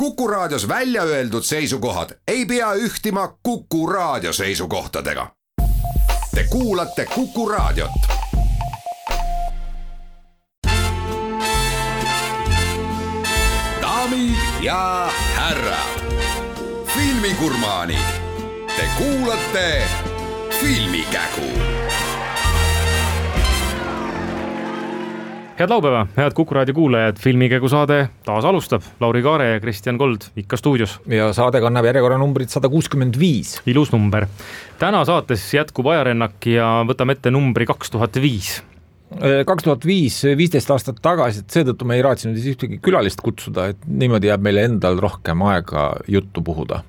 Kuku Raadios välja öeldud seisukohad ei pea ühtima Kuku Raadio seisukohtadega. Te kuulate Kuku Raadiot. Daamid ja härrad, filmigurmaanid, te kuulate Filmikägu. Head laupäeva, head Kuku Raadio kuulajad, Filmikägu saade taas alustab. Lauri Kaare ja Kristjan Kold ikka stuudios. Ja saade kannab järjekorranumbrit 165. Ilus number. Täna saates jätkub ajarännak ja võtame ette numbri 2005. 2005, 15 aastat tagasi, et seetõttu me ei raatsinud ühtegi külalist kutsuda, et niimoodi jääb meile endal rohkem aega juttu puhuda.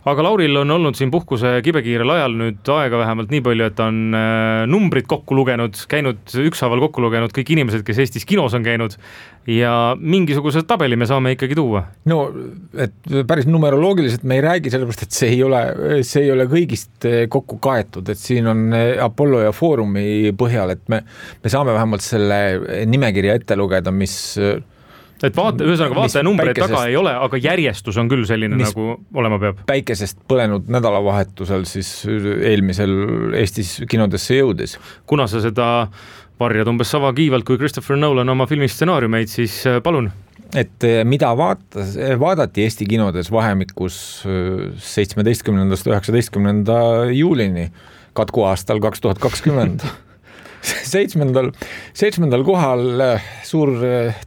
Aga Lauril on olnud siin puhkuse kibekiirel ajal nüüd aega vähemalt nii palju, et on numbrid kokku lugenud, käinud ükshaaval kokku lugenud kõik inimesed, kes Eestis kinos on käinud ja mingisuguse tabeli me saame ikkagi tuua. No, et päris numeroloogiliselt me ei räägi sellepärast, et see ei ole kõigist kokku kaetud, et siin on Apollo ja Foorumi põhjal, et me saame vähemalt selle nimekirja ette lugeda, mis... Et ühesõnaga vaataja numbreid taga ei ole, aga järjestus on küll selline, nagu olema peab. Päikesest põlenud nädalavahetusel siis eelmisel Eestis kinodesse jõudis. Kuna sa seda varjad umbes sama kiivalt kui Christopher Nolan oma filmistsenaariumeid, siis palun. Et mida vaadati Eesti kinodes vahemikus 17. 19. juulini katku aastal 2020. 7. kohal suur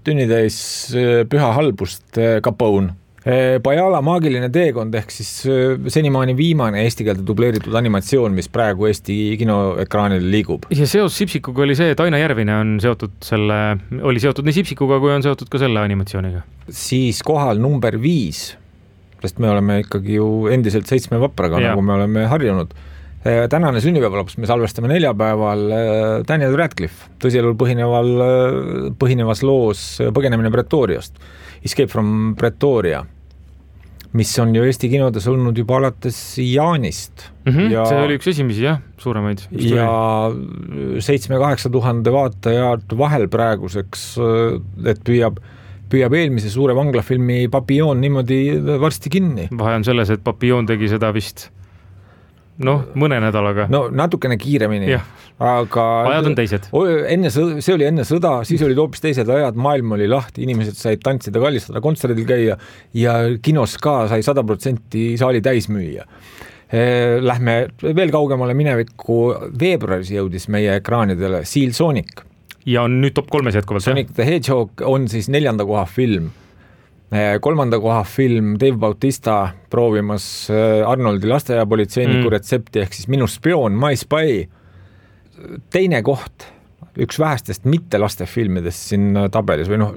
tünnitäis püha halbust Capone. Bajala maagiline teekond ehk siis senimaani viimane eesti keelde dubleeritud animatsioon, mis praegu Eesti kinoekraanil liigub. Ja seos Sipsikuga oli see, et Aina Järvine oli seotud nii Sipsikuga, kui on seotud ka selle animatsiooniga. Siis kohal number 5, sest me oleme ikkagi ju endiselt 7 vapraga, nagu me oleme harjunud. Tänane sünnipäevalaps me salvestame neljapäeval Daniel Radcliffe tõsielul põhinevas loos Põgenemine Pretoriast, Escape from Pretoria, mis on ju Eesti kinodes olnud juba alates jaanist. Ja, see oli üks esimesi, jah, suuremaid. Ja 7-8 tuhande vaatajad vahel praeguseks, et püüab eelmise suure vanglafilmi Papillon niimoodi varsti kinni. Vahe on selles, et Papillon tegi seda vist mõne nädalaga. No natukene kiiremini. Aga ajad on teised. See oli enne sõda, siis olid hoopis teised ajad, maailm oli lahti, inimesed said tantsida, kallistada, kontserdil käia ja kinos ka sai 100% saali täis müüa. Lähme veel kaugemale minevikku, veebruaris jõudis meie ekraanidele Seal Sonic. Ja on nüüd top 3 jätkuvalt. Sonic the Hedgehog on siis 4. koha film. 3. koha film Dave Bautista proovimas Arnoldi lasteaiapolitseiniku retsepti ehk siis Minu spioon, My Spy. 2. koht, üks vähestest mitte lastefilmidest siin tabelis või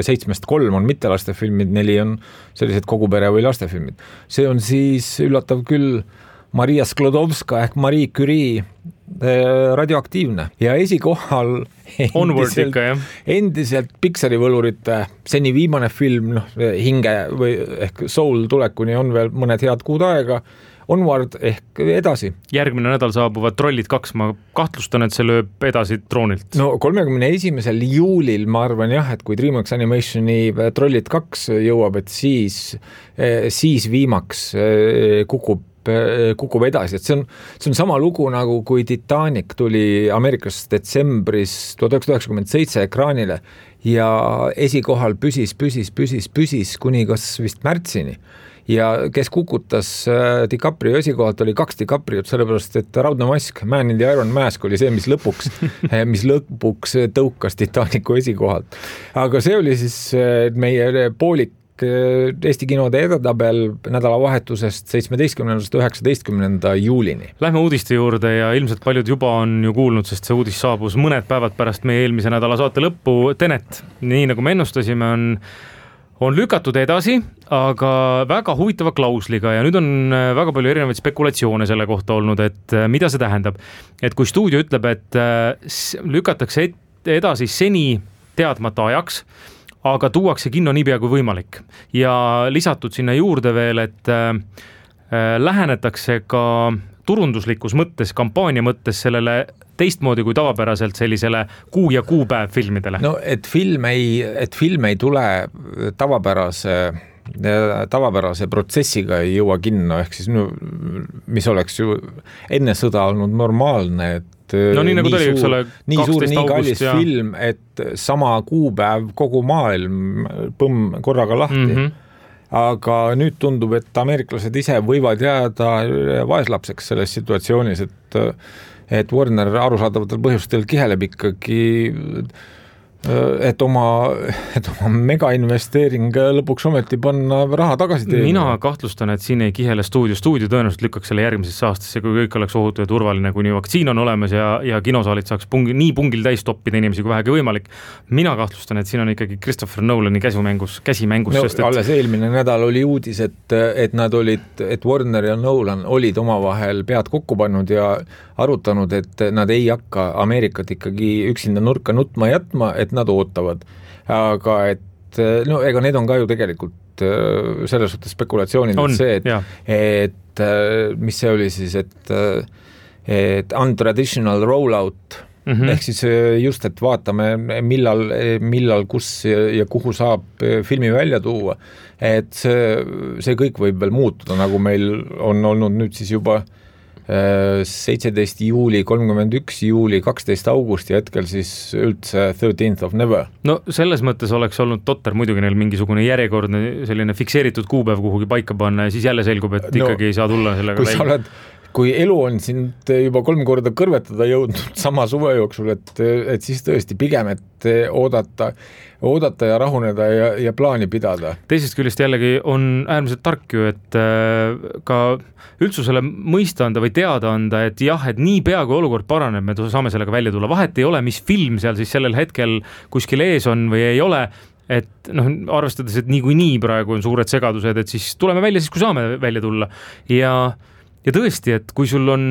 7-3 on mitte lastefilmid, 4 on sellised kogupere või lastefilmid. See on siis üllatav küll Maria Sklodowska ehk Marie Curie Radioaktiivne ja esikohal endiselt Pixari võlurite seni viimane film, hinge või ehk Soul tulekuni on veel mõned head kuud aega, Onward ehk edasi. Järgmine nädal saabuvad Trollid 2, ma kahtlustan, et see lööb edasi Troonilt. 31. juulil ma arvan jah, et kui DreamWorks Animationi Trollid 2 jõuab, et siis viimaks kukub edasi, et see on sama lugu nagu kui Titanic tuli Ameerikas detsembris 1997 ekraanile ja esikohal püsis kuni kas vist märtsini ja kes kukutas DiCaprio esikohalt oli 2 DiCapriot, sellepärast et Raudne mask, Man in the Iron Mask oli see, mis lõpuks tõukas Titanicu esikohalt. Aga see oli siis meie poolik Eesti kinode edetabel nädalavahetusest 17. 19. juulini. Lähme uudiste juurde ja ilmselt paljud juba on ju kuulnud, sest see uudis saabus mõned päevad pärast meie eelmise nädala saate lõppu. Tenet, nii nagu me ennustasime, on lükatud edasi, aga väga huvitava klausliga ja nüüd on väga palju erinevaid spekulatsioone selle kohta olnud, et mida see tähendab. Et kui stuudio ütleb, et lükatakse edasi seni teadmata ajaks, aga tuuakse kinno niipea kui võimalik. Ja lisatud sinna juurde veel, et lähenetakse ka turunduslikus mõttes, kampaania mõttes sellele teistmoodi kui tavapäraselt sellisele kuu ja kuupäev filmidele. No, et film ei tule tavapärase tavapärase protsessiga ei jõua kinno, ehk siis mis oleks ju enne sõda olnud normaalne, et no nii nagu tuli, eks ole, 12 nii kallis ja... film, et sama kuupäev kogu maailm korraga lahti. Aga nüüd tundub, et ameeriklased ise võivad jääda vaeslapseks selles situatsioonis, et Warner arusaadavatel põhjustel kiheleb ikkagi, et oma megainvesteering lõpuks ometi panna raha tagasi teenima. Mina kahtlustan, et siin ei kihele stuudio tõenäoliselt lükkaks selle järgmisesse aastasse, kui kõik oleks ohutu ja turvaline, kuni vaktsiin on olemas ja kinosaalid saaks nii pungil täis toppida inimesi kui vähegi võimalik. Mina kahtlustan, et siin on ikkagi Christopher Nolani käsimängus, no, sest alles eelmine nädal oli uudis, et Warner ja Nolan olid omavahel pead kokku pannud ja arutanud, et nad ei hakka Ameerikat ikkagi üksinda nurka nutma jätma, et nad ootavad. Aga no ega need on ka ju tegelikult selles suhtes spekulatsioonid, et mis see oli siis, et untraditional rollout, ehk siis just, et vaatame, millal kus ja kuhu saab filmi välja tuua, et see kõik võib veel muutuda, nagu meil on olnud nüüd siis juba 17 juuli, 31 juuli, 12 august ja hetkel siis üldse 13th of never. No selles mõttes oleks olnud totter muidugi neil mingisugune järjekordne selline fikseeritud kuupäev kuhugi paika panna ja siis jälle selgub, et ikkagi ei saa tulla sellega välja. Kui elu on sind juba 3 korda kõrvetada jõudnud sama suve jooksul, et siis tõesti pigem, et oodata ja rahuneda ja plaani pidada. Teisest küljest jällegi on äärmiselt tark ju, et ka üldsusele mõista anda või teada anda, et jah, et nii pea kui olukord paraneb, me saame sellega välja tulla. Vahet ei ole, mis film seal siis sellel hetkel kuskil ees on või ei ole, et arvestades, et nii praegu on suured segadused, et siis tuleme välja siis, kui saame välja tulla. Ja tõesti, et kui sul on,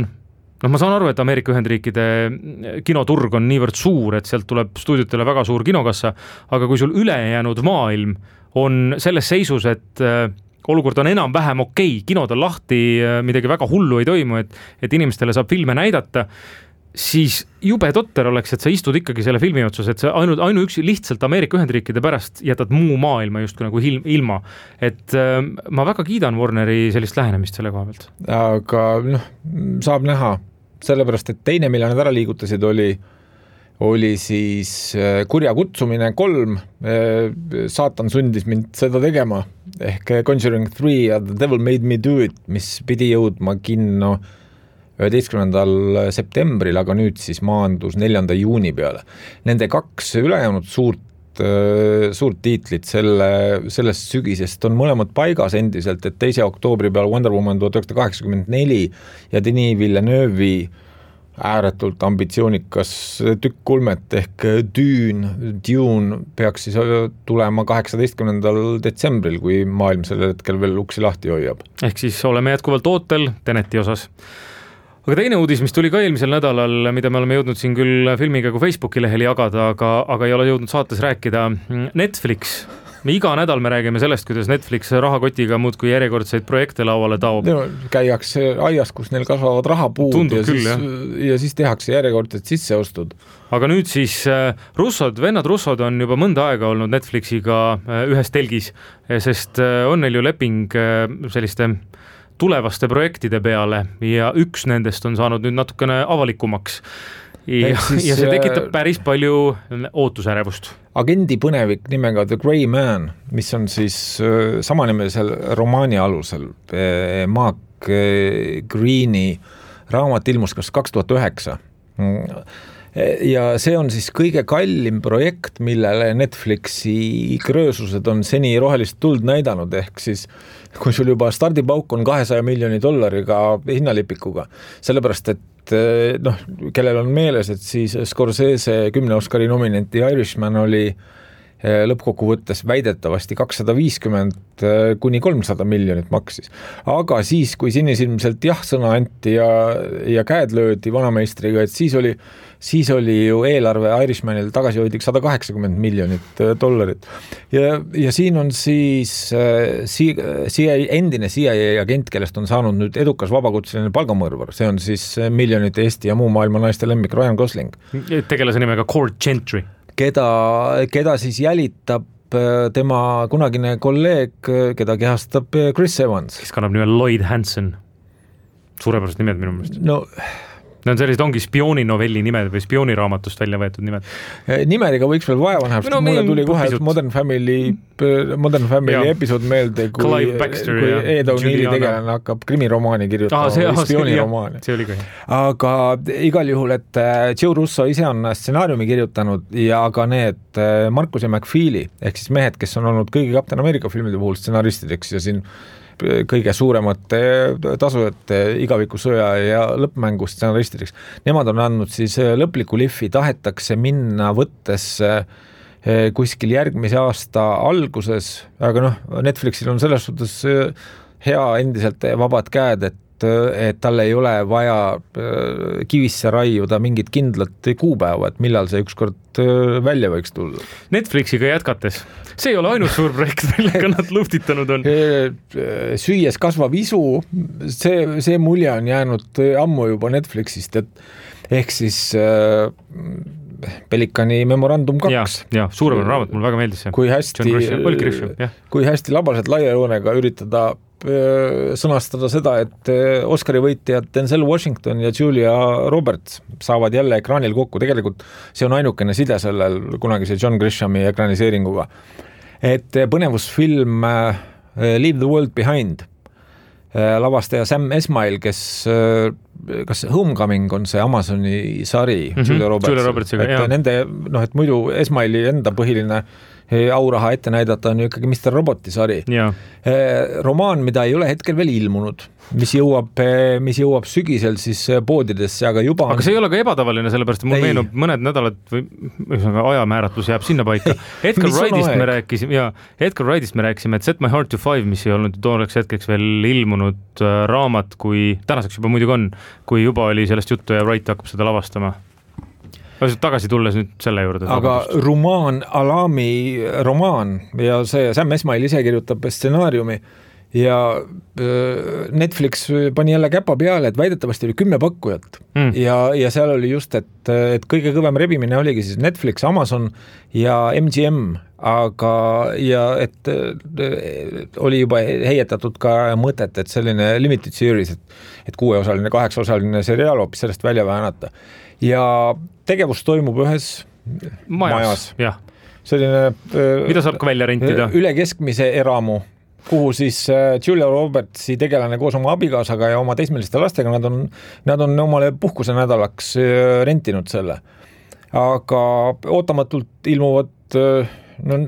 ma saan aru, et Ameerika Ühendriikide kinoturg on niivõrd suur, et sealt tuleb stuudiotele väga suur kinokassa, aga kui sul ülejäänud maailm on selles seisus, et olukord on enam-vähem okei, kinod on lahti, midagi väga hullu ei toimu, et inimestele saab filme näidata, siis jube totter oleks, et sa istud ikkagi selle filmi otsas, et sa ainuüksi lihtsalt Ameerika Ühendriikide pärast jätad muu maailma just nagu ilma. Et ma väga kiidan Warneri sellist lähenemist selle koha pealt. Aga saab näha, sellepärast, et teine, mille nad ära liigutasid, oli siis Kurja kutsumine 3, saatan sundis mind seda tegema, ehk Conjuring 3 ja The Devil Made Me Do It, mis pidi jõudma kinno 11. septembril, aga nüüd siis maandus 4. juuni peale. Nende 2 ülejäänud suurt tiitlit sellest sügisest on mõlemad paigas endiselt, et 2. oktoobri peal Wonder Woman 1984 ja Denis Villeneuve'i ääretult ambitsioonikas tükk kulmet ehk Dune peaks siis tulema 18. detsembril, kui maailm sellel hetkel veel uksi lahti hoiab. Ehk siis oleme jätkuvalt ootel Teneti osas. Aga teine uudis, mis tuli ka eelmisel nädalal, mida me oleme jõudnud siin küll filmiga kui Facebooki lehel jagada, aga ei ole jõudnud saates rääkida, Netflix. Iga nädal me räägime sellest, kuidas Netflix rahakotiga muudkui järjekordseid projekte lauale taob. Käiakse aias, kus neil kasvavad rahapuud ja siis tehakse järjekordsed sisseostud. Aga nüüd siis vennad Russod on juba mõnda aega olnud Netflixiga ühes telgis, sest on neil ju leping selliste tulevaste projektide peale ja üks nendest on saanud nüüd natukene avalikumaks. Ja see tekitab päris palju ootusärevust. Agendi põnevik nimega The Grey Man, mis on siis samanimelisel romaani alusel. Mark Greeni raamat ilmus kas 2009. Ja see on siis kõige kallim projekt, millele Netflixi kröösused on seni rohelist tuld näidanud, ehk siis kui sul juba stardipauk on $200 miljoni hinnalipikuga, sellepärast, et kellel on meeles, et siis Scorsese 10 Oscari nominenti Irishman oli lõppkokkuvõttes väidetavasti 250 kuni 300 miljonit maksis. Aga siis, kui sinisilmselt sõna anti ja käed löödi vanameistriga, et siis oli ju eelarve Irishmanil tagasihoidlik $180 miljonit. Ja siin on siis endine CIA agent, kellest on saanud nüüd edukas vabakutseline palgamõrvar. See on siis miljonite Eesti ja muu maailma naiste lemmik Ryan Gosling. Tegelase nimega Cord Gentry. Keda siis jälitab tema kunagine kolleeg, keda kehastab Chris Evans. Kes kannab nime Lloyd Hansen. Suurepärased nimed minu meelest. No Need on sellised ongi spiooninovelli nimed või spiooniraamatust välja võetud nimed. Nimedega võiks veel vaeva näha, sest mulle tuli kohe Modern Family episood meelde, kui Ed O'Neilli tegelane hakkab krimiromaani kirjutama või spiooniromaani. See oli ka hea. Aga igal juhul, et Joe Russo ise on stsenaariumi kirjutanud ja ka need Marcus ja McFeely ehk siis mehed, kes on olnud kõigi Captain America filmide puhul stsenaristideks ja siin kõige suuremate tasujate igavikusõja ja lõppmängu stsenaristideks. Nemad on andnud siis lõpliku lihvi, tahetakse minna võttes kuskil järgmise aasta alguses, aga Netflixil on selles suhtes hea endiselt vabad käed, et tal ei ole vaja kivisse raiuda mingit kindlat kuupäeva, et millal see ükskord välja võiks tulla. Netflixiga jätkates, see ei ole ainult suur projekt, millega nad luhtitanud on. Süües kasvav isu, see mulje on jäänud ammu juba Netflixist, et ehk siis Pelikani memorandum 2. Ja, suurepärane raamat, mulle väga meeldis see. Kui hästi labaselt laia joonega üritada sõnastada seda, et Oscari võitjad Denzel Washington ja Julia Roberts saavad jälle ekraanil kokku. Tegelikult see on ainukene side sellel kunagise John Grishami ekraniseeringuga. Et põnevusfilm Leave the World Behind, lavastaja Sam Esmail, kes kas Homecoming on see Amazoni sari Julia Robertsiga, et nende, et muidu Esmaili enda põhiline auraha ette näidata on ju ikkagi Mr. Roboti sari. Romaan, mida ei ole hetkel veel ilmunud, mis jõuab sügisel siis poodidesse, aga juba Aga see ei ole ka ebatavaline, sellepärast mul meenub mõned nädalad või ajamääratlus jääb sinna paika. Edgar Wrightist me rääkisime, et Set My Heart to Five, mis ei olnud tooneks hetkeks veel ilmunud raamat, kui tänaseks juba muidugi on, kui juba oli sellest juttu ja Wright hakkab seda lavastama. Tagasi tulles nüüd selle juurde. Aga Rumaan Alami romaan ja see Sam Esmail ise kirjutab stsenaariumi ja Netflix pani jälle käpa peale, et väidetavasti oli 10 pakkujat ja seal oli just, et kõige kõvem rebimine oligi siis Netflix, Amazon ja MGM, aga ja et oli juba heietatud ka mõtet, et selline limited series, et 6-osaline, 8-osaline seriaal hoopis sellest välja väänata. Ja tegevus toimub ühes majas. Selline, mida saab ka välja rentida? Üle keskmise eramu, kuhu siis Julia Robertsi tegelane koos oma abikaasaga ja oma teismeliste lastega, nad on omale puhkuse nädalaks rentinud selle. Aga ootamatult ilmuvad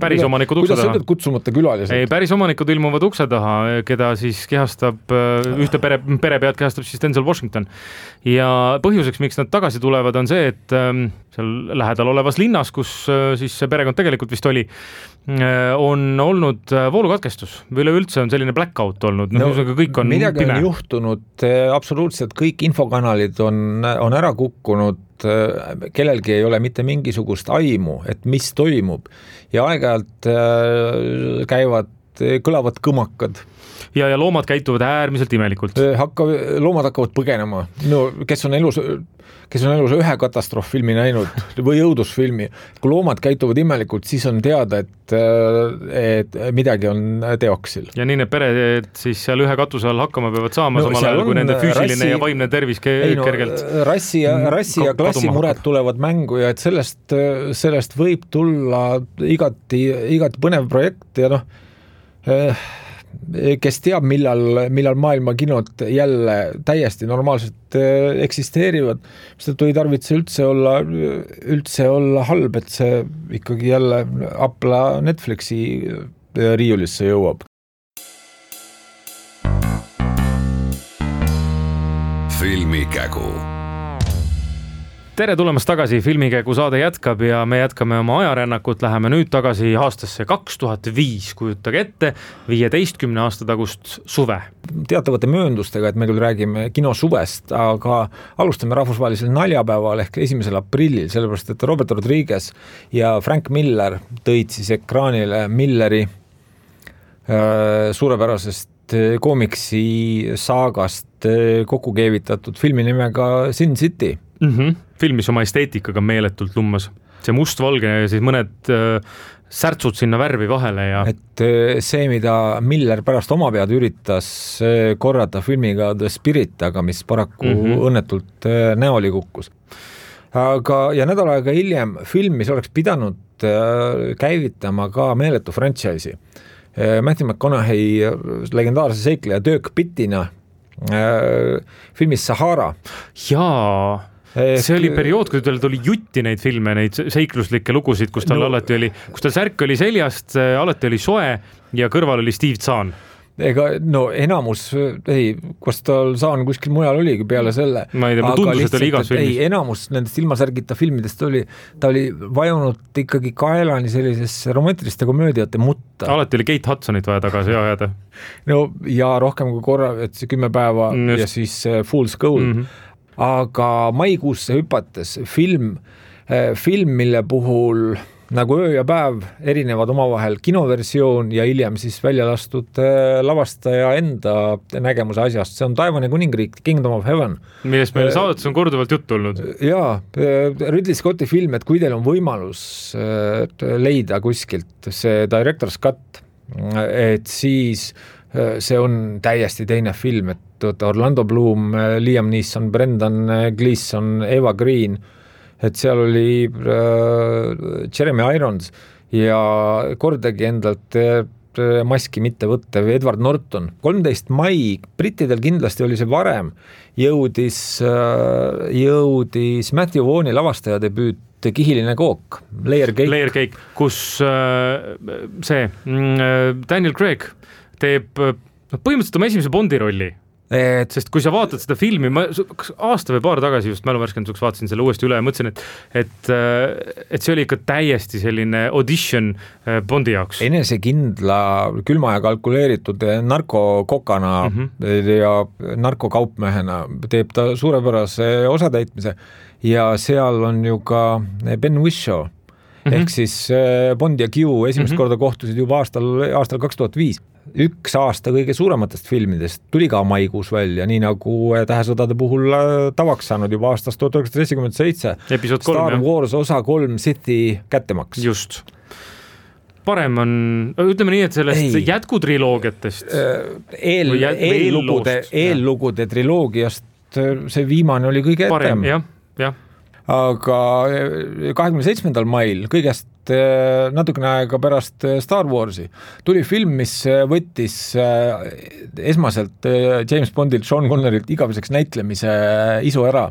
päris omanikud ukse taha. Kuidas ütled kutsumata külalised? Ei, päris omanikud ilmuvad ukse taha, keda siis kehastab, ühte perepead kehastab siis Denzel Washington. Ja põhjuseks, miks nad tagasi tulevad, on see, et seal lähedal olevas linnas, kus siis see perekond tegelikult vist oli, on olnud voolukatkestus. Või üleüldse on selline blackout olnud. Kõik on midagi pime. On juhtunud, absoluutselt kõik infokanalid on ära kukkunud, kellelgi ei ole mitte mingisugust aimu, et mis toimub ja aeg-ajalt kõlavad kõmakad. Ja loomad käituvad äärmiselt imelikult. Loomad hakkavad põgenema. No, kes on elus ühe katastroofilmi näinud või õudusfilmi. Kui loomad käituvad imelikult, siis on teada, et midagi on teoksil. Ja nii need pered siis seal ühe katuse all hakkama peavad saama, samal ajal kui nende füüsiline ja vaimne tervis kergelt. Rassi ja klassimured tulevad mängu ja et sellest võib tulla igati põnev projekt ja kes teab, millal maailma kinod jälle täiesti normaalselt eksisteerivad, seda ei tarvitse üldse olla halb, et see ikkagi jälle Apple Netflixi riiulisse jõuab. Filmikägu. Tere tulemast tagasi, Filmikägu saade jätkab ja me jätkame oma ajarännakut, läheme nüüd tagasi aastasse 2005, kujutage ette 15 aasta tagust suve. Teatavate mööndustega, et me küll räägime kinosuvest, aga alustame rahvusvahelisel naljapäeval ehk 1. aprillil, sellepärast et Robert Rodriguez ja Frank Miller tõid siis ekraanile Milleri suurepärasest koomiksi saagast kokku keevitatud filmi nimega Sin City. Filmis oma esteetikaga meeletult lummas. See mustvalge ja siis mõned särtsud sinna värvi vahele ja et see, mida Miller pärast oma pead üritas korrata filmiga The Spirit, aga mis paraku õnnetult näoli kukkus. Aga ja nädal aega hiljem film, mis oleks pidanud käivitama ka meeletu franchise'i. Matthew McConaughey legendaarse seikleja Dirk Pittina filmis Sahara. Jaa, see oli periood, kui tal tuli jutti neid filme, neid seikluslikke lugusid, kus tal alati oli, kus tal särk oli seljast, alati oli soe ja kõrval oli Steve Zahn. Ega no enamus, kas tal Zahn kuskil mujal oligi peale selle. Ma ei tea, ma tundus, et oli igas filmis. Enamus nendest ilmasärgita filmidest ta oli vajunud ikkagi kaelani sellisesse romantiliste komöödiate mutta. Alati oli Kate Hudsonit vaja tagasi ajada. No ja rohkem kui korra, et see 10 päeva ja siis Fool's Gold. Aga maikuusse hüpates film, mille puhul nagu öö ja päev erinevad omavahel kinoversioon ja hiljem siis välja lastud lavastaja enda nägemuse asjast. See on Taevani kuningriik, Kingdom of Heaven. Millest meil saadetes on korduvalt juttu olnud. Jaa, Ridley Scotti film, et kui teil on võimalus leida kuskilt see Director's Cut, et siis see on täiesti teine film, et Orlando Bloom, Liam Neeson, Brendan Gleeson, Eva Green, et seal oli Jeremy Irons ja kordagi endalt maski mitte võttev Edward Norton. 13 mai, brittidel kindlasti oli see varem, jõudis Matthew Vaughn'i lavastaja debüüt Kihiline kook, Layer Cake, kus see Daniel Craig teeb põhimõtteliselt oma esimese Bondi rolli. Sest kui sa vaatad seda filmi, ma aasta või paar tagasi just mäluvärskenduseks vaatasin selle uuesti üle ja mõtlesin, et see oli ikka täiesti selline audition Bondi jaoks. Enesekindla, külma ja kalkuleeritud narkokokana ja narkokaupmehena teeb ta suurepärase osatäitmise ja seal on ju ka Ben Whishaw. Ehk siis Bond ja Q esimest korda kohtusid juba aastal 2005. Üks aasta kõige suurematest filmidest tuli ka maikuus välja, nii nagu Tähesõdade puhul tavaks saanud juba aastast 1977. Episood 3, Star Wars osa 3 Sithi kättemaks. Just. Parem on, ütleme nii, et sellest jätkutriloogiatest. Eellugude triloogiast see viimane oli kõige parem, jah. Aga 27. mail kõigest natukene aega pärast Star Warsi tuli film, mis võttis esmaselt James Bondilt, Sean Conneryilt igaveseks näitlemise isu ära.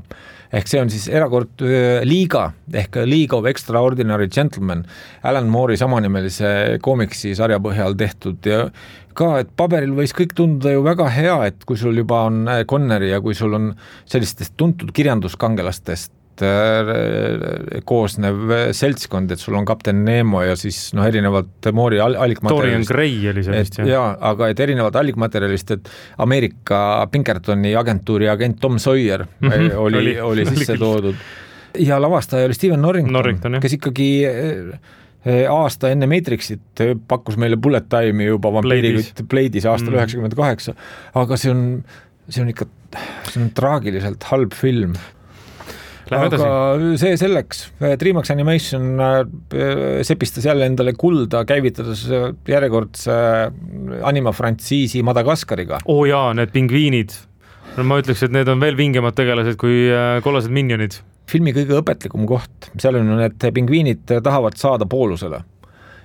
Ehk see on siis erakord Liiga ehk League of Extraordinary Gentlemen, Alan Moore'i samanimelise koomiksi sarja põhjal tehtud ja ka, et paberil võis kõik tunduda ju väga hea, et kui sul juba on Conneri ja kui sul on sellistest tuntud kirjanduskangelastest koosnev seltskond, et sul on kapten Nemo ja siis erinevalt Moore'i allikmaterjalist. Dorian Gray oli see vist, jah. Aga et erinevalt allikmaterjalist, et Ameerika Pinkertoni agentuuri agent Tom Sawyer oli sisse toodud. Ja lavastaja oli Steven Norrington, kes ikkagi aasta enne Matrixit pakkus meile Bullet Time'i juba vampiirikütt Blade'is aastal 98, aga see on ikka traagiliselt halb film. Aga see selleks, DreamWorks Animation sepistas jälle endale kulda, käivitades järjekordse animafrantsiisi Madagaskariga. Jaa, need pingviinid. Ma ütleks, et need on veel vingemad tegelased kui kollased minionid. Filmi kõige õpetlikum koht, seal on need pingviinid tahavad saada poolusele.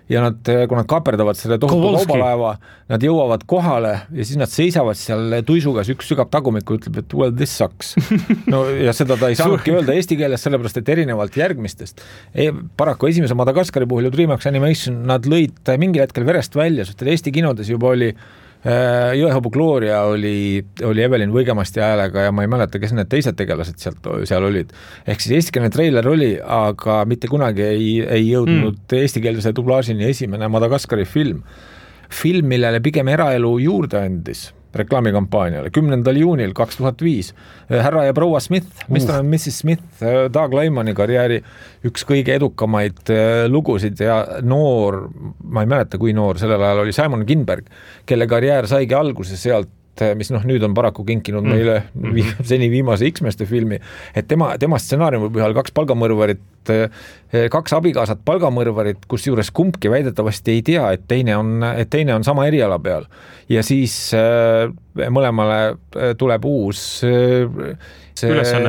Ja kui nad kaaperdavad selle tohutu kaubalaeva, nad jõuavad kohale ja siis nad seisavad seal tuisugas, üks sügab tagumikku ütleb, et well, this sucks. No, ja seda ta ei saanudki öelda eesti keeles, sellepärast, et erinevalt järgmistest. Paraku esimese Madagaskari puhul ja DreamWorks Animation, nad lõid mingil hetkel verest välja, sest Eesti kinodes juba oli Jõehobu Gloria oli Evelyn Võigemasti häälega ja ma ei mäleta, kes need teised tegelased seal olid. Ehk siis eestikeelne treiler oli, aga mitte kunagi ei jõudnud eestikeelse dublaažini esimene Madagaskari film. Film, millele pigem eraelu juurde andis reklaamikampaaniale 10. juunil 2005. Härra ja proua Smith, Mr. and Mrs. Smith, Doug Lyman'i karjääri üks kõige edukamaid lugusid ja noor, ma ei mäleta kui noor, sellel ajal oli Simon Kinberg, kelle karjäär saigi alguse sealt mis nüüd on paraku kinkinud meile seni viimase X-meste filmi, et tema stsenaariumi põhjal 2 palgamõrvarit, 2 abikaasat palgamõrvarit, kus juures kumbki väidetavasti ei tea, et teine on sama eriala peal. Ja siis mõlemale tuleb uus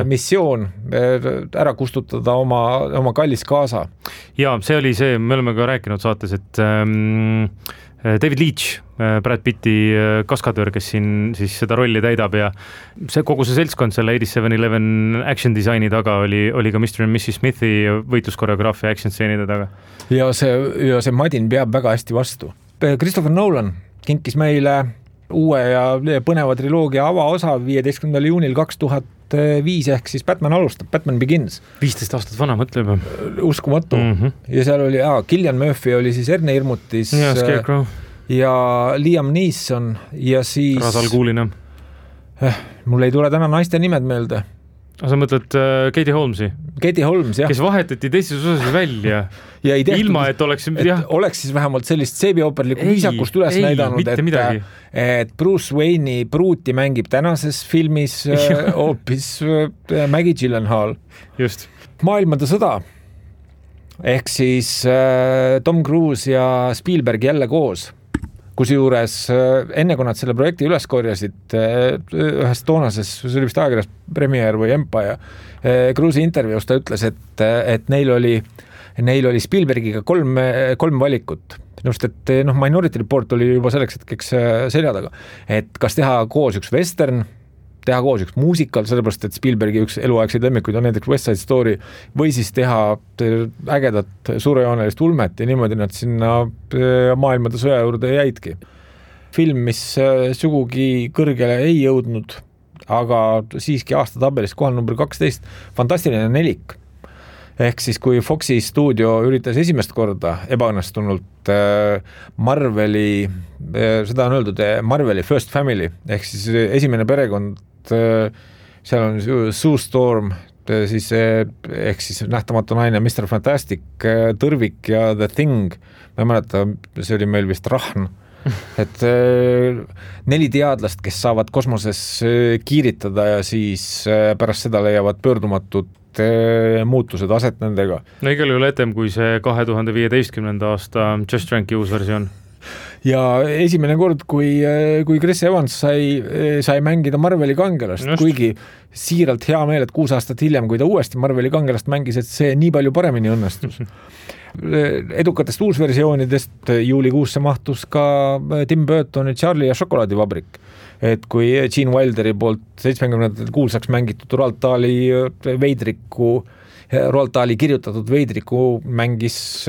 missioon ära kustutada oma kallis kaasa. Ja see oli see, me oleme ka rääkinud saates, et David Leitch, Brad Pitti kaskadöör, kes siin siis seda rolli täidab ja kogu see seltskond selle 8711 action disaini taga oli ka Mr. and Mrs. Smithi võitluskoreograafia action stseenide taga. Ja see Madin peab väga hästi vastu. Christopher Nolan kinkis meile uue ja põneva triloogia avaosa 15. juunil 2005 ehk siis Batman alustab, Batman Begins. 15 aastat vana, mõtle juba. Uskumatu. Ja seal oli, Cillian Murphy oli siis Erne Hirmutis ja Scarecrow ja Liam Neeson ja siis Rasal Kuulina. Mul ei tule täna naiste nimed meelde. Sa mõtled Katie Holmesi? Katie Holmes, jah. Kes vahetati teistes osas välja. Ja ei tehtud, ilma, et oleks siis vähemalt sellist seebioperlikku viisakust üles näidanud, et Bruce Wayne'i pruuti mängib tänases filmis hoopis Maggie Gyllenhaal. Just. Maailmade sõda. Ehk siis Tom Cruise ja Spielberg jälle koos. Kusjuures enne kui nad selle projekti üles korjasid ühes toonases, see oli vist ajakirjas Premiere või Empire, Cruise'i intervjuus ta ütles, et neil oli Spielbergiga kolm valikut. Just, et Minority Report oli juba selleks hetkeks selja taga, et kas teha koos üks western, teha koos üks muusikal, sellepärast, et Spielbergi üks eluaegseid lemmikuid on näiteks West Side Story, või siis teha ägedat suurejoonelist ulmet ja niimoodi nad sinna maailmade sõja juurde jäidki. Film, mis sugugi kõrgele ei jõudnud, aga siiski aasta tabelis kohal number 12, fantastiline nelik. Ehk siis, kui Foxi stuudio üritas esimest korda ebaõnnestunult Marveli, seda on öeldud, Marveli First Family, ehk siis esimene perekond, seal on Sue Storm, siis, ehk siis nähtamatu naine, Mr. Fantastic, Tõrvik ja The Thing, ma ei mäleta, see oli meil vist Rahn, et 4 teadlast, kes saavad kosmoses kiiritada ja siis pärast seda leiavad pöördumatut muutused aset nendega. No igal juhul etem kui see 2015. aasta Just Ranki uus versioon. Ja esimene kord, kui Chris Evans sai mängida Marveli kangelast, kuigi siiralt hea meel, et 6 aastat hiljem, kui ta uuesti Marveli kangelast mängis, et see nii palju paremini õnnestus. Edukatest uusversioonidest juulikuusse mahtus ka Tim Burtoni Charlie ja šokolaadivabrik. Et kui Gene Wilderi poolt 70. kuulsaks mängitud Roald Dahli kirjutatud Veidriku mängis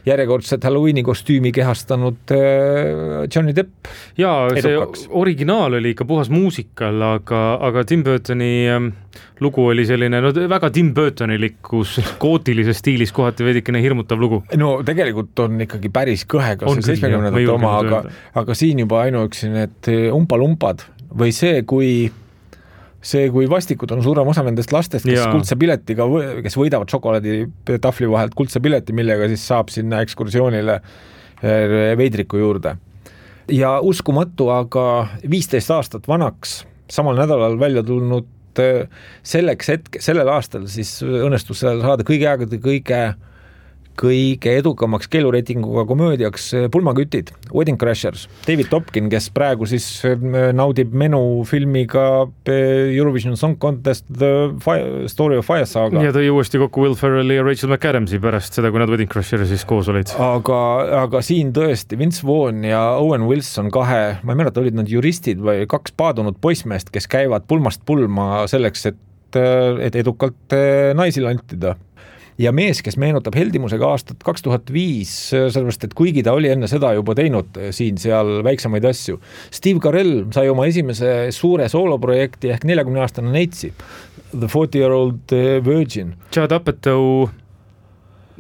järjekordset Halloweeni kostüümi kehastanud Johnny Depp. Ja edukaks. See originaal oli ikka puhas muusikal, aga Tim Burtoni lugu oli selline väga Tim Burtonilikkus gootilises stiilis kohati veidikene hirmutav lugu. No tegelikult on ikkagi päris kõhe, kas see 70. oma, aga siin juba ainuüksi need umpalumpad või see, kui vastikud on suurem osa nendest lastest, kes kuldse piletiga, kes võidavad šokolaadi tahvli vahelt kuldse pileti, millega siis saab sinna ekskursioonile Veidriku juurde. Ja uskumatu, aga 15 aastat vanaks, samal nädalal välja tulnud sellel aastal siis õnnestus saada kõige aegade kõige edukamaks keelureitinguga komöödiaks Pulmakütid, Wedding Crashers, David Topkin, kes praegu siis naudib menu filmiga Eurovision Song Contest The Story of Fire Saga. Ja tõi uuesti kokku Will Ferrelli ja Rachel McAdamsi pärast seda, kui nad Wedding Crashersis koos olid. Aga siin tõesti Vince Vaughn ja Owen Wilson ma ei mäleta, olid nad juristid või 2 paadunud poissmeest, kes käivad pulmast pulma selleks, et edukalt naisi lantida. Ja mees, kes meenutab heldimusega aastat 2005, sellepärast, et kuigi ta oli enne seda juba teinud siin seal väiksemaid asju. Steve Carell sai oma esimese suure sooloprojekti ehk 40-aastane neitsi, The 40-Year-Old Virgin. Judd Apatow,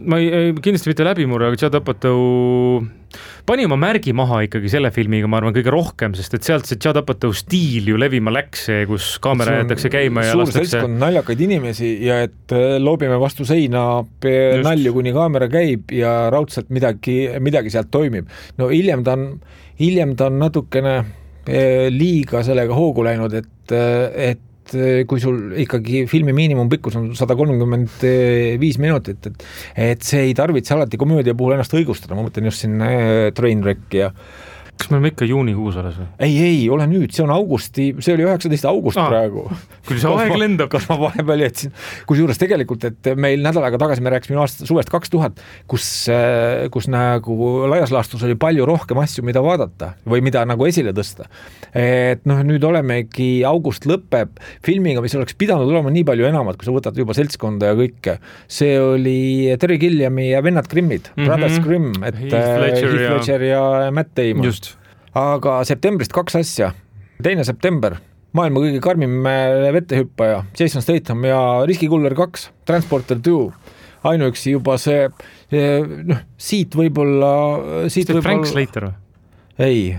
ma ei kindlasti mitte läbimurre, aga Judd Apatow pani oma märgi maha ikkagi selle filmiga, ma arvan, kõige rohkem, sest et sealt see Judd Apatow stiil ju levima läks, kus kaamera jäetakse käima ja lastakse. Suur seltskond naljakaid inimesi ja et loobime vastu seina nalju, kuni kaamera käib ja raudselt midagi sealt toimib. No hiljem ta on natukene liiga sellega hoogu läinud, et kui sul ikkagi filmi miinimumpikkus on 135 minutit, et see ei tarvitse alati komöödia puhul ennast õigustada, ma mõtlen just siin Trainwrecki ja kas me oleme ikka juunikuus alles või? Ei, ole nüüd, see on augusti, see oli 19. august praegu. Küll see aeg lendab. Kas ma vahepeal jätsin, kusjuures tegelikult, et meil nädal aega tagasi me rääkisime suvest 2000, kus nagu laias laastus oli palju rohkem asju, mida vaadata või mida nagu esile tõsta. Et nüüd olemegi, august lõpeb filmiga, mis oleks pidanud olema nii palju enamat, kui sa võtad juba seltskonda ja kõike. See oli Terry Gilliami ja vennad Grimmid, Brothers Grimm, et Heath Ledger ja Matt Damon. Just. Aga septembrist 2 asja. 2. september, maailma kõige karmim vettehüppaja, Jason Statham ja Riskikuller 2, Transporter 2. Ainuüksi juba see, siit võib-olla... Frank Slater või? Ei.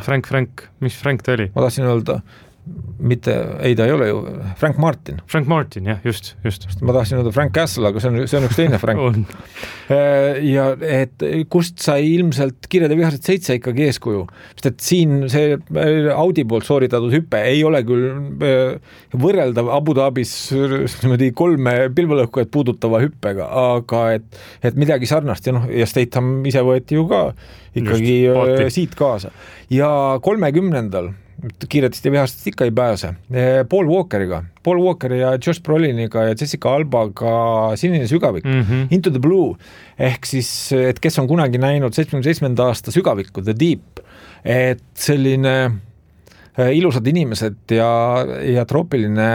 Frank, mis Frank ta oli? Ma tahtsin öelda... Mitte, ei ta ei ole ju, Frank Martin. Frank Martin, jah, just. Ma tahtsin öelda Frank Castle, aga see on üks teine Frank. Ja et kust sai ilmselt Kirjade vihased 7 ikkagi eeskuju, sest et siin see Audi poolt sooritatud hüppe ei ole küll võrreldav Abu Dhabis 3 pilvelõhkujat puudutava hüppega, aga et midagi sarnast ja Statham ise võeti ju ka ikkagi just, siit kaasa. Ja 30. kiiretest ja vihastest ikka ei pääse. Paul Walkeri ja Josh Broliniga ja Jessica Albaga Sinine sügavik, Into the Blue, ehk siis, et kes on kunagi näinud 77. aasta sügavikku, The Deep, et selline ilusad inimesed ja troopiline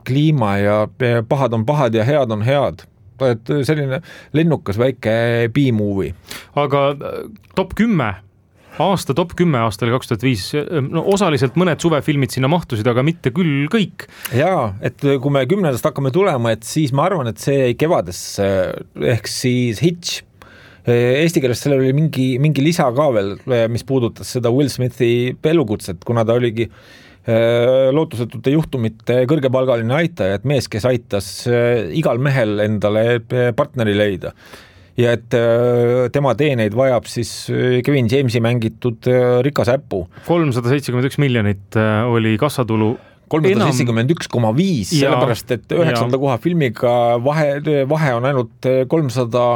kliima ja pahad on pahad ja head on head. Et selline lennukas väike B-movie. Aga top 10 aasta top 10 aastal 2005, osaliselt mõned suvefilmid sinna mahtusid, aga mitte küll kõik. Jaa, et kui me 10. hakkame tulema, et siis ma arvan, et see kevadesse, ehk siis Hitch. Eesti keeles sellel oli mingi lisa ka veel, mis puudutas seda Will Smithi elukutset, kuna ta oligi lootusetute juhtumite kõrgepalgaline aitaja, et mees, kes aitas igal mehel endale partneri leida. Ja et tema teeneid vajab siis Kevin Jamesi mängitud rikas äppu. 371 miljonit oli kassatulu. 371,5, sellepärast, et 9. koha filmiga vahe on ainult 300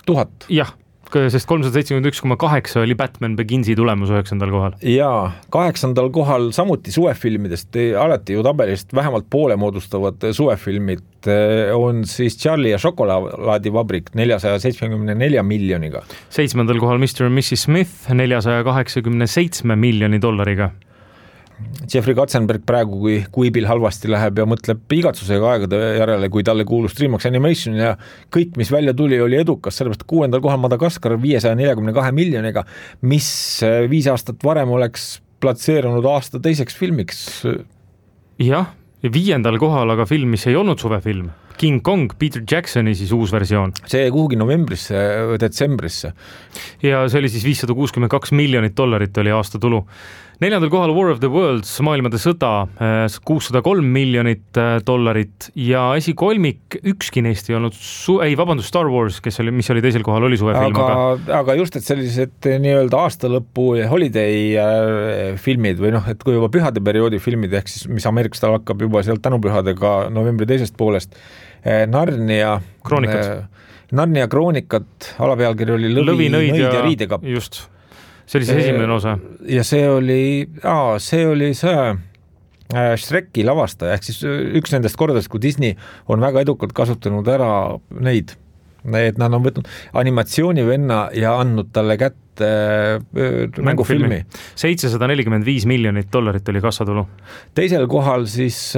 000. Jah, sest 371,8 oli Batman Beginsi tulemus 9. kohal. Jaa, 8. kohal samuti suvefilmidest, alati ju tabelist vähemalt poole moodustavad suvefilmid on siis Charlie ja šokolaadivabrik 474 miljoniga. 7. kohal Mr. and Mrs. Smith 487 miljoni dollariga. Jeffrey Katzenberg praegu, kui Bill halvasti läheb ja mõtleb igatsusega aegade järele, kui talle kuulus DreamWorks Animation ja kõik, mis välja tuli, oli edukas, sellepärast 6. kohal Madagaskar 542 miljoniga, mis 5 aastat varem oleks platseerunud aasta teiseks filmiks. Jah, 5. kohal aga film, mis ei olnud suvefilm. King Kong, Peter Jacksoni siis uus versioon. See kuhugi novembrisse, detsembrisse. Ja see oli siis 562 miljonit dollarit oli aasta tulu. 4. kohal War of the Worlds, maailmade sõda, 603 miljonit dollarit ja esikolmik, ükski neist ei olnud, Star Wars, mis oli teisel kohal, oli suvefilm. Aga just, et sellised nii-öelda aastalõpu holiday filmid või et kui juba pühade perioodi filmid, ehk siis mis Ameerikas tal hakkab juba sealt tänupühadega novembri teisest poolest, Narnia kroonikat, alapealkiri oli Lõvi, nõid ja riidekapp. Just. See oli see esimene osa. Ja see oli Shreki lavastaja, ehk siis üks nendest kordadest, kui Disney on väga edukalt kasutanud ära neid, et nad on võtnud animatsioonivenna ja andnud talle kätte mängufilmi. 745 miljonit dollarit oli kassatulu. Teisel kohal siis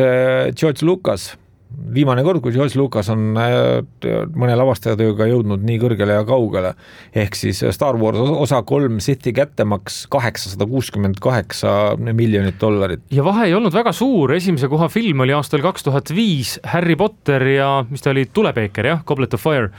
George Lucas. Viimane kord, kui George Lucas on mõne lavastajatööga jõudnud nii kõrgele ja kaugele, ehk siis Star Wars osa 3 Sithi kättemaks 868 miljonit dollarit. Ja vahe ei olnud väga suur, esimese koha film oli aastal 2005 Harry Potter ja mis ta oli, Tulepeeker, jah, Goblet of Fire,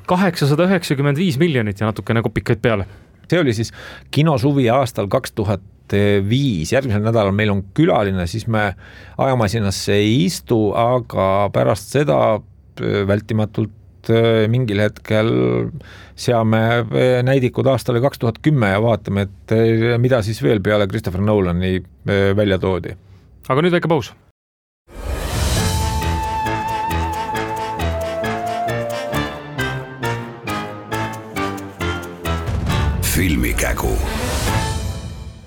895 miljonit ja natukene kopikaid peale. See oli siis kinosuvi aastal 2005, järgmisel nädalal meil on külaline, siis me ajamasinasse ei istu, aga pärast seda vältimatult et mingil hetkel seame näidikud aastale 2010 ja vaatame, et mida siis veel peale Christopher Nolani välja toodi. Aga nüüd väike paus. Filmikägu.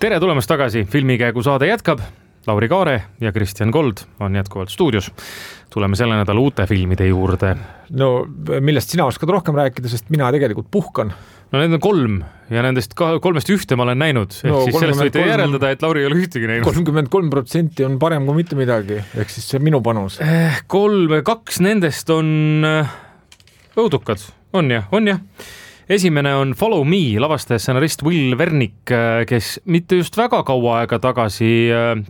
Tere tulemast tagasi, Filmikägu saade jätkab. Lauri Kaare ja Kristjan Kold on jätkuvalt stuudios. Tuleme selle nädala uute filmide juurde. No millest sina oskad rohkem rääkida, sest mina tegelikult puhkan. No need on 3 ja nendest 3 ühte ma olen näinud. Ehk siis sellest võite järeldada, et Lauri ei ole ühtegi näinud. 33% on parem kui mitte midagi, ehk siis see minu panus. 2 nendest on õudukad, on jah. Esimene on Follow Me, lavastaja stsenarist Will Wernick, kes mitte just väga kaua aega tagasi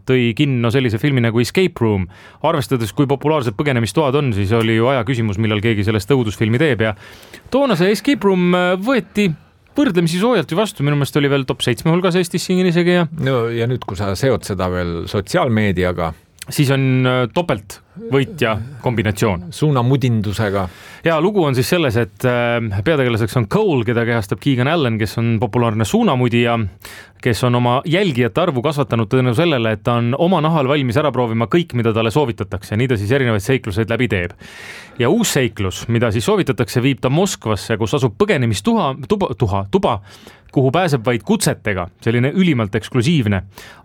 tõi kinno sellise filmi nagu Escape Room. Arvestades, kui populaarsed põgenemistoad on, siis oli ju aja küsimus, millal keegi sellest õudusfilmi teeb ja toona see Escape Room võeti võrdlemisi soojalt ju vastu, minu meelest oli veel top 7 hulgas Eestis siin isegi. No ja nüüd, kui sa seod seda veel sotsiaalmeediaga, siis on topelt võitja kombinatsioon. Suunamudindusega. Ja lugu on siis selles, et peategelaseks on Cole, keda kehastab Keegan Allen, kes on populaarne suunamudija, kes on oma jälgijate arvu kasvatanud tõenu sellele, et ta on oma nahal valmis ära proovima kõik, mida talle soovitatakse. Nii ta siis erinevaid seikluseid läbi teeb. Ja uus seiklus, mida siis soovitatakse, viib ta Moskvasse, kus asub põgenemistuba, kuhu pääseb vaid kutsetega, selline ülimalt eksklusiivne.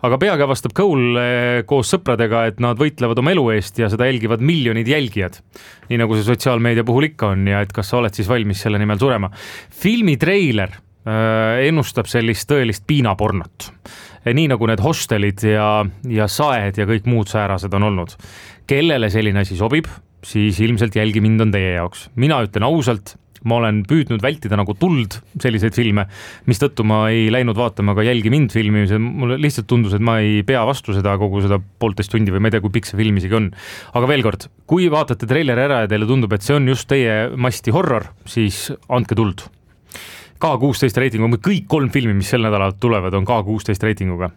Aga peagi avastab Cole koos sõpradega, et nad võitlevad oma elu eest ja seda jälgivad miljonid jälgijad. Nii nagu see sotsiaalmeedia puhul ikka on ja et kas sa oled siis valmis selle nimel surema. Filmi treiler ennustab sellist tõelist piinapornot. Nii nagu need hostelid ja saed ja kõik muud säärased on olnud. Kellele selline asi sobib, siis ilmselt Jälgi mind on teie jaoks. Mina ütlen ausalt, ma olen püüdnud vältida nagu tuld selliseid filme, mistõttu ma ei läinud vaatama ka Jälgi mind filmi. Mulle lihtsalt tundus, et ma ei pea vastu seda kogu seda 1,5 tundi või ma ei tea, kui pikk see film isegi on. Aga veel kord, kui vaatate treileri ära ja teile tundub, et see on just teie masti horror, siis andke tuld. K16 reitinguga, kõik 3 filmi, mis sel nädalal tulevad, on K16 reitinguga.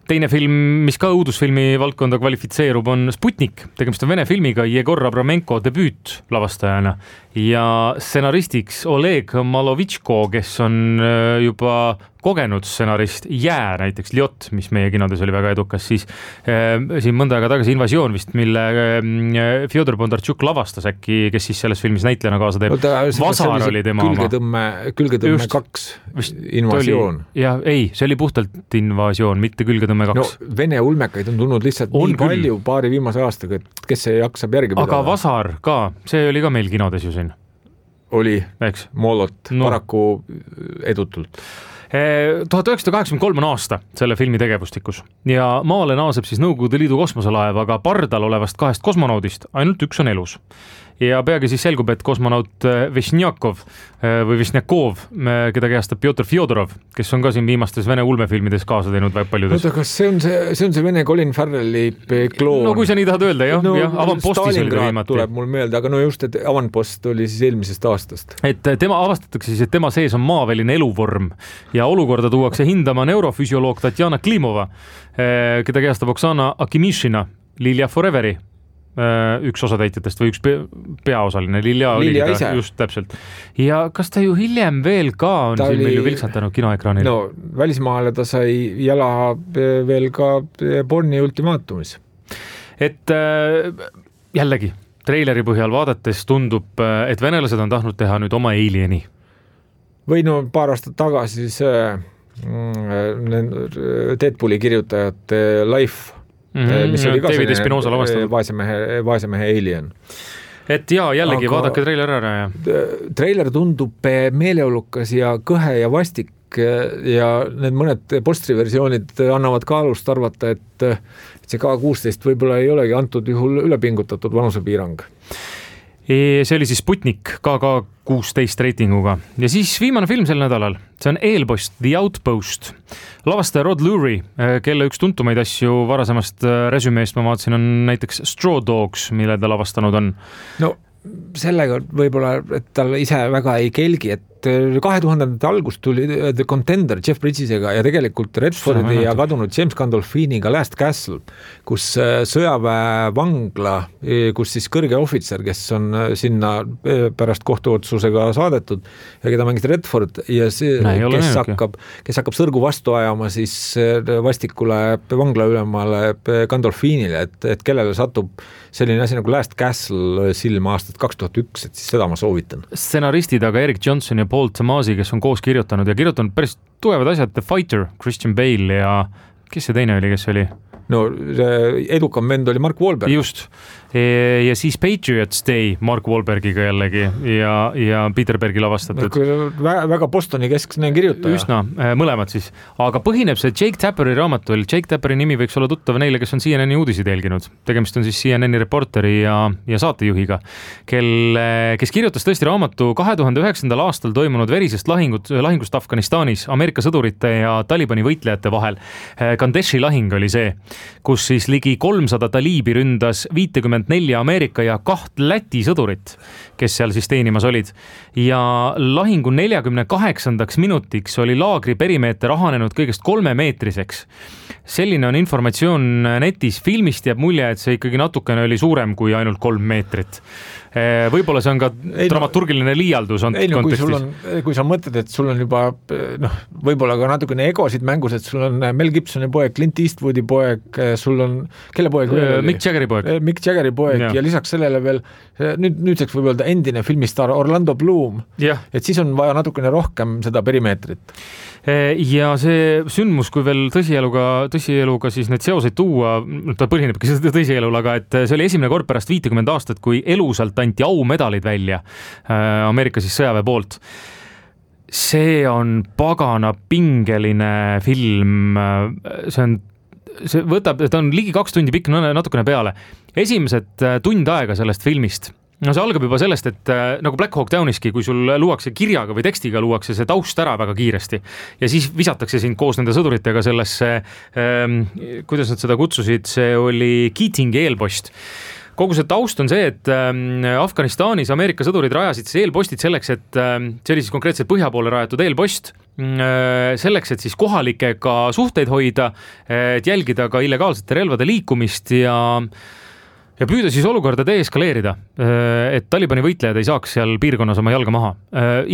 Teine film, mis ka õudusfilmi valdkonda kvalifitseerub, on Sputnik. Tegemist on Vene filmiga Jegor Abramenko debüüt lavastajana ja stsenaristiks Oleg Malovitško, kes on juba kogenud stsenarist Jää, näiteks Ljot, mis meie kinodes oli väga edukas, siis siin mõnda aega tagasi Invasioon vist, mille Fjodor Bondarchuk lavastas äkki, kes siis selles filmis näitlejana kaasa teeb. Vasar oli tema Külgetõmme 2 Invasioon. Ja ei, see oli puhtalt Invasioon, mitte Külgetõmme 2. No, Vene ulmekaid on tulnud lihtsalt nii palju paari viimase aastaga, et kes see jaksab järgi pidada. Aga Vasar ka, see oli ka meil kinodes ju siin. Oli, Moolot, paraku edutult. 1983 on aasta selle filmi tegevustikus ja maale naaseb siis Nõukogude Liidu kosmoselaev, aga pardal olevast 2 kosmonaudist ainult 1 on elus. Ja peagi siis selgub, et kosmonaut Vesnjakov, keda kehastab Pjotr Fjodorov, kes on ka siin viimastes Vene ulmefilmides kaasa teinud väga paljudes. Oota, kas see on see Vene Colin Farrelli kloon? No kui sa nii tahad öelda, jah. No, Avantpostis oli ta viimati. Tuleb mul meelde, aga no just, et Avantpost oli siis eelmisest aastast. Et tema avastatakse siis, et tema sees on maaväline eluvorm ja olukorda tuuakse hindama neurofüsioloog Tatjana Klimova, keda kehastab Oksana Akimishina, Lilja Foreveri, üks osatäitjatest või üks peaosaline, Lilja ise. Just täpselt. Ja kas ta ju hiljem veel ka on siin meil ju vilksatanud kinoekraanil? No, välismaale ta sai jala veel ka Borni ultimaatumis. Et jällegi, treileri põhjal vaadates tundub, et venelased on tahtnud teha nüüd oma Alieni. Või no paar aastat tagasi see Deadpooli kirjutajate Life, mis oli ka vaesemehe Alien. Et jällegi vaadake treiler ära. Treiler tundub meeleolukas ja kõhe ja vastik ja need mõned postriversioonid annavad ka alust arvata, et see K16 võib-olla ei olegi antud juhul ülepingutatud vanusepiirang. See oli siis Sputnik KK16 reitinguga. Ja siis viimane film sel nädalal, see on Eelpost, The Outpost. Lavastaja Rod Lurie, kelle üks tuntumaid asju varasemast resümeest ma vaatasin on näiteks Straw Dogs, mille ta lavastanud on. No sellega võib-olla, et tal ise väga ei kelgi, et 2000ndate algust tuli The Contender Jeff Bridgesega ja tegelikult Redfordi ja kadunud James Gandolfiniga Last Castle, kus sõjaväevangla, kus siis kõrge ohvitser, kes on sinna pärast kohtuotsusega saadetud ja keda mängis Redford ja see, kes hakkab sõrgu vastu ajama siis vastikule vanglaülemale Gandolfinile, et kellele satub selline asi nagu Last Castle silma aastat 2001, et siis seda ma soovitan. Stsenaristid aga Eric Johnson ja Paul Tomasi, kes on koos kirjutanud päris tugevad asjad, The Fighter, Christian Bale ja kes see teine oli, kes oli? No edukam vend oli Mark Wahlberg. Just. Ja siis Patriots Day Mark Wahlbergiga jällegi ja Peter Bergi lavastatud. Väga Bostoni keskne kirjutaja. Üsna, mõlemad siis. Aga põhineb see Jake Tapperi raamatul. Jake Tapperi nimi võiks olla tuttav neile, kes on CNN uudiseid jälginud. Tegemist on siis CNN reporteri ja saatejuhiga, kes kirjutas tõesti raamatu 2009. aastal toimunud verisest lahingust Afganistanis Ameerika sõdurite ja Talibani võitlejate vahel. Kandeshi lahing oli see, kus siis ligi 300 taliibi ründas 54 Ameerika ja 2 Läti sõdurit, kes seal siis teenimas olid. Ja lahingu 48. minutiks oli laagri perimeeter rahanenud kõigest 3 meetriseks. Selline on informatsioon netis. Filmist jääb mulje, et see ikkagi natukene oli suurem kui ainult 3 meetrit. Võib-olla see on ka dramaturgiline liialdus kontekstis. Kui sa mõtled, et sul on juba võib-olla ka natukene egosid mängus, et sul on Mel Gibsoni poeg, Clint Eastwoodi poeg, sul on, kelle poeg? Mick Jaggeri poeg. Mick Jaggeri poeg ja lisaks sellele veel nüüdseks võib öelda endine filmistaar Orlando Bloom. Et siis on vaja natukene rohkem seda perimeetrit. Ja see sündmus, kui veel tõsieluga siis need seoseid tuua, ta põhinebki tõsielul, aga et see oli esimene kord pärast 50 aastat, kui elusalt anti aumedalid välja Ameerika siis sõjaväe poolt. See on pagana pingeline film, ta on ligi 2 tundi pikk, natukene peale. Esimesed tund aega sellest filmist. No see algab juba sellest, et nagu Black Hawk Downiski, kui sul luuakse kirjaga või tekstiga, luuakse see taust ära väga kiiresti ja siis visatakse sind koos nende sõduritega sellesse, kuidas nad seda kutsusid, see oli Keatingi eelpost. Kogu see taust on see, et Afganistanis Ameerika sõdurid rajasid siis eelpostid selleks, et see oli siis konkreetselt põhja poole rajatud eelpost, selleks, et siis kohalikega suhteid hoida, et jälgida ka illegaalsete relvade liikumist ja püüda siis olukorda deeskaleerida, et Talibani võitlejad ei saaks seal piirkonnas oma jalga maha.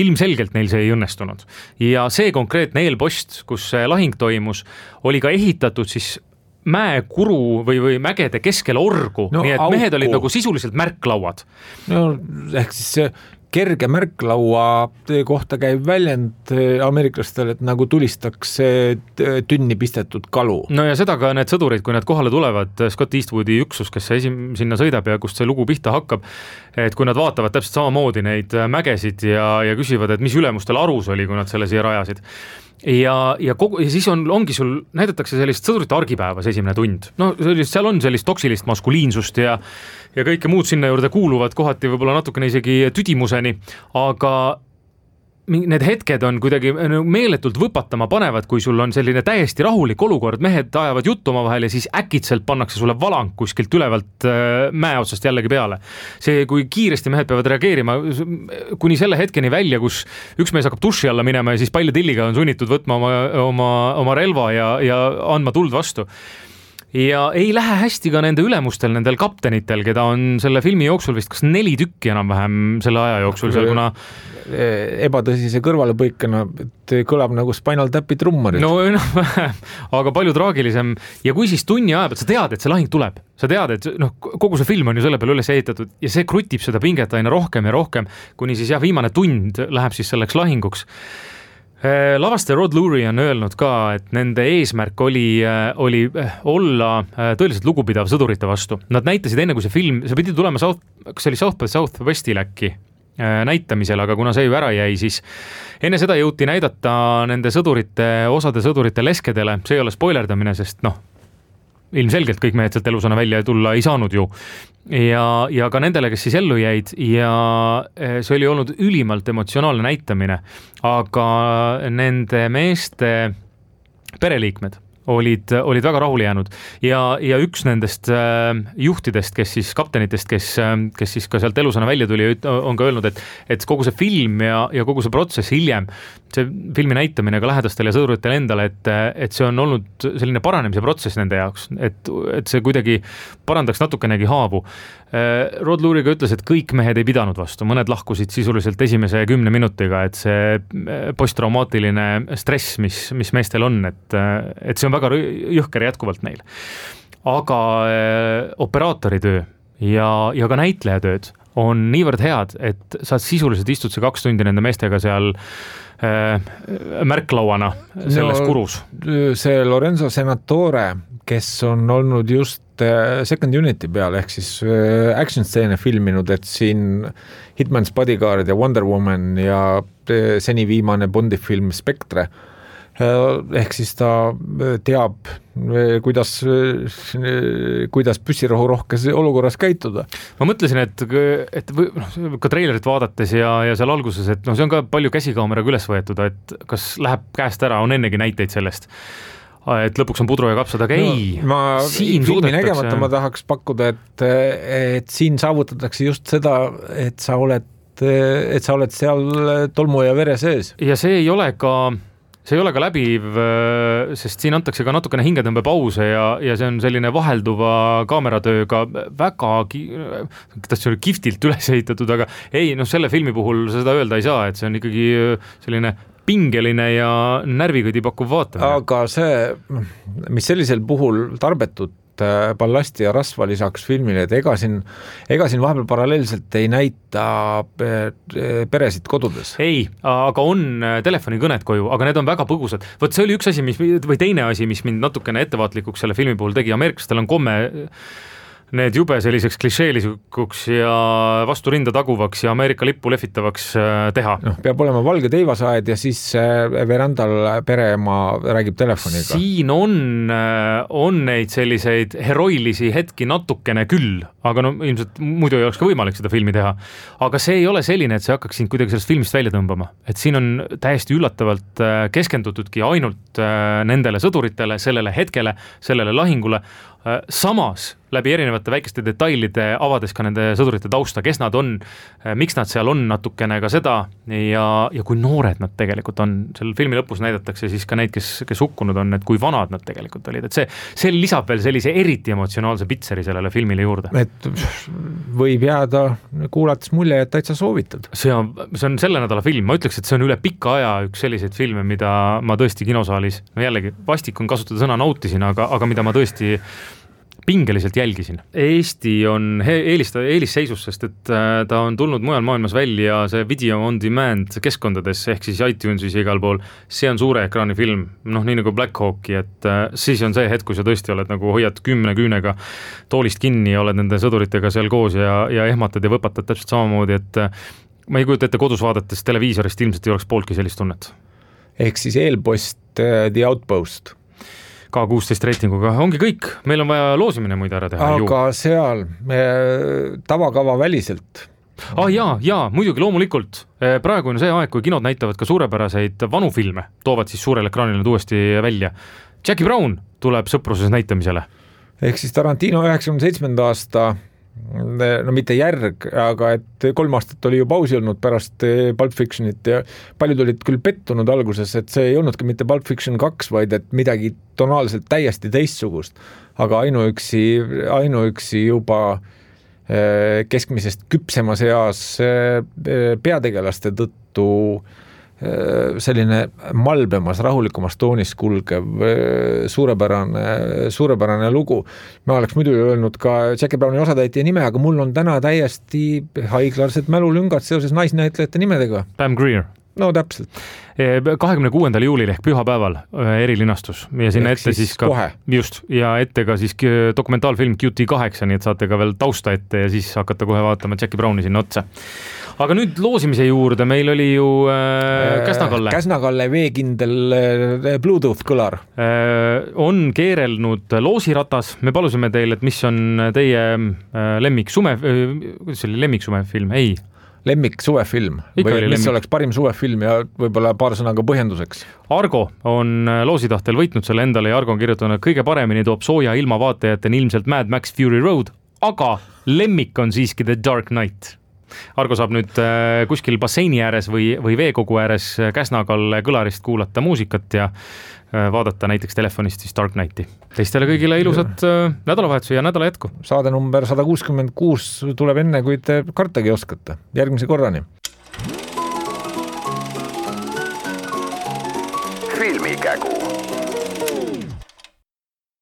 Ilmselgelt neil see ei õnnestunud. Ja see konkreetne eelpost, kus see lahing toimus, oli ka ehitatud siis mäekuru või mägede keskel orgu, nii et mehed olid nagu sisuliselt märklauad. No ehk siis see kerge märklaua kohta käib väljend ameeriklastel, et nagu tulistaks tünni pistetud kalu. No ja seda ka need sõdurid, kui nad kohale tulevad, Scott Eastwoodi üksus, kes sinna sõidab ja kust see lugu pihta hakkab, et kui nad vaatavad täpselt samamoodi neid mägesid ja küsivad, et mis ülemustel arus oli, kui nad selle siia rajasid. Ja siis ongi sul, näidatakse sellist sõdurite argipäevas esimene tund. No seal on sellist toksilist maskuliinsust ja kõike muud sinna juurde kuuluvad kohati võib-olla natukene isegi tüdimuseni, aga need hetked on kuidagi meeletult võpatama panevad, kui sul on selline täiesti rahulik olukord, mehed ajavad juttu oma vahel ja siis äkitselt pannakse sulle valang kuskilt ülevalt mäe otsast jällegi peale. See, kui kiiresti mehed peavad reageerima kuni selle hetkeni välja, kus üks mees hakkab duši alla minema ja siis palju tilliga on sunnitud võtma oma relva ja andma tuld vastu. Ja ei lähe hästi ka nende ülemustel, nendel kaptenitel, keda on selle filmi jooksul vist kas 4 tükki enam-vähem selle aja jooksul seal, kuna ebatõsise kõrvalepõikena, et kõlab nagu Spinal Tapi trummarid. No aga palju traagilisem. Ja kui siis tunni aja pealt sa tead, et see lahing tuleb, sa tead, et kogu see film on ju selle peale üles ehitatud ja see krutib seda pinget aina rohkem ja rohkem, kuni siis viimane tund läheb siis selleks lahinguks. Lavastaja Rod Lurie on öelnud ka, et nende eesmärk oli olla tõeliselt lugupidav sõdurite vastu. Nad näitasid enne, kui see film, see pidi tulema kas see oli South by Southwestil äkki näitamisel, aga kuna see ju ära jäi, siis enne seda jõuti näidata nende osade sõdurite leskedele, see ei ole spoilerdamine, sest ilmselgelt kõik mehed sealt elusana välja tulla ei saanud ju. Ja ka nendele, kes siis ellu jäid ja see oli olnud ülimalt emotsionaalne näitamine, aga nende meeste pereliikmed olid väga rahule jäänud ja üks nendest juhtidest, kes siis kaptenitest, kes siis ka sealt elusana välja tuli, on ka öelnud, et kogu see film ja kogu see protsess hiljem, see filmi näitamine ka lähedastele ja sõduritele endale, et see on olnud selline paranemise protsess nende jaoks, et see kuidagi parandaks natukenegi haavu. Rod Lurie ka ütles, et kõik mehed ei pidanud vastu, mõned lahkusid sisuliselt esimese 10 minutiga, et see posttraumaatiline stress, mis meestel on, et see on väga jõhker jätkuvalt neil. Aga operaatoritöö ja ka näitlejatööd on niivõrd head, et sa sisuliselt istud see 2 tundi nende meestega seal märklauana selles kurus. See Lorenzo Senatore, kes on olnud just Second Unity peal, ehk siis action stseene filminud, et siin Hitman's Bodyguard ja Wonder Woman ja seni viimane Bondi film Spectre, ehk siis ta teab, kuidas püssirohu rohkes olukorras käituda. Ma mõtlesin, et ka treilerit vaadates ja seal alguses, et see on ka palju käsikaameraga üles võetud, et kas läheb käest ära, on ennegi näiteid sellest, et lõpuks on pudru ja kapsad, aga siin filmi nägemata ma tahaks pakkuda, et siin saavutatakse just seda, et sa oled seal tolmu ja vere sees. Ja see ei ole ka läbiv, sest siin antakse ka natukene hingetõmbe pause ja see on selline vahelduva kaameratööga väga kiftilt üles ehitatud, aga ei, selle filmi puhul seda öelda ei saa, et see on ikkagi selline pingeline ja närvikõdi pakkuv vaatamine. Aga see, mis sellisel puhul tarbetut ballasti ja rasva lisaks filmile, et ega siin vahepeal paralleelselt ei näita peresid kodudes. Ei, aga on telefonikõned koju, aga need on väga põgusad. Võt see oli üks asi, või teine asi, mis mind natukene ettevaatlikuks selle filmi puhul tegi. Ameeriklastel on komme need jube selliseks klišeelisikuks ja vastu rinda taguvaks ja Ameerika lippu lehvitavaks teha. Peab olema valge teivasaed ja siis verandal pereema räägib telefoniga. Siin on neid selliseid heroilisi hetki natukene küll, aga ilmselt muidu ei oleks ka võimalik seda filmi teha. Aga see ei ole selline, et see hakkaks sind kuidagi sellest filmist välja tõmbama. Et siin on täiesti üllatavalt keskendutudki ainult nendele sõduritele, sellele hetkele, sellele lahingule. Samas läbi erinevate väikeste detailide avades ka nende sõdurite tausta, kes nad on, miks nad seal on natukene ka seda ja kui noored nad tegelikult on. Selle filmi lõpus näidatakse siis ka neid, kes hukkunud on, et kui vanad nad tegelikult olid. Et see lisab veel sellise eriti emotsionaalse pitseri sellele filmile juurde. Et võib jääda kuulates mulje, et täitsa soovitad. See on selle nädala film. Ma ütleks, et see on üle pikka aja üks selliseid filme, mida ma tõesti kinosaalis, jällegi vastik on kasutada sõna nautisin, aga mida ma tõesti pingeliselt jälgisin. Eesti on eelisseisus, sest et ta on tulnud mujal maailmas välja see video on demand keskkondades, ehk siis iTunesis igal pool. See on suure ekraani film, nii nagu Black Hawki, et siis on see hetk, kui sa tõesti oled nagu hoiad 10 küünega toolist kinni ja oled nende sõduritega seal koos ja ehmatad ja võpatad täpselt samamoodi, et ma ei kujuta ette kodus vaadates televiisorist ilmselt ei oleks pooltki sellist tunnet. Ehk siis eelpost The Outpost. K16 reitinguga ongi kõik, meil on vaja loosimine muide ära teha. Aga seal tavakava väliselt. Jaa, muidugi loomulikult. Praegu on see aeg, kui kinod näitavad ka suurepäraseid vanu filme, toovad siis suurel ekraanil uuesti välja. Jackie Brown tuleb sõpruses näitamisele. Ehk siis Tarantino 97. aasta, mitte järg, aga et 3 aastat oli ju pausi olnud pärast Pulp Fictionit ja paljud olid küll pettunud alguses, et see ei olnudki mitte Pulp Fiction 2, vaid et midagi tonaalselt täiesti teistsugust, aga ainuüksi juba keskmisest küpsemas eas peategelaste tõttu selline malbemas, rahulikumas toonis kulgev suurepärane lugu. Ma oleks muidu öelnud ka Jackie Browni osatäitja nime, aga mul on täna täiesti haiglarsed mälulüngad seoses naisnäitlejate nimedega. Pam Grier. No täpselt. 26. juulil ehk pühapäeval erilinastus ja sinna ette siis ka kohe. Just, ja ette ka siis dokumentaalfilm QT8, nii et saate ka veel tausta ette ja siis hakata kohe vaatama Jackie Browni sinna otsa. Aga nüüd loosimise juurde, meil oli ju Käsna-Kalle. Käsna-Kalle veekindel Bluetooth kõlar. On keerelnud loosiratas, me palusime teile, et mis on teie lemmiksume film? Ei. lemmik suvefilm või mis oleks parim suvefilm ja võib-olla paar sõnaga põhjenduseks? Argo on loositahtel võitnud selle endale ja Argo on kirjutanud, kõige paremini toob sooja ilma vaatajateni ilmselt Mad Max Fury Road, aga lemmik on siiski The Dark Knight. Argo saab nüüd kuskil basseini ääres või veekogu ääres Käsna-Kalle kõlarist kuulata muusikat ja vaadata näiteks telefonist siis Dark Knighti. Teistele kõigile ilusat nädalavahetuse ja nädala jätku. Saade number 166 tuleb enne, kui te kartagi oskate. Järgmise korrani. Filmikägu.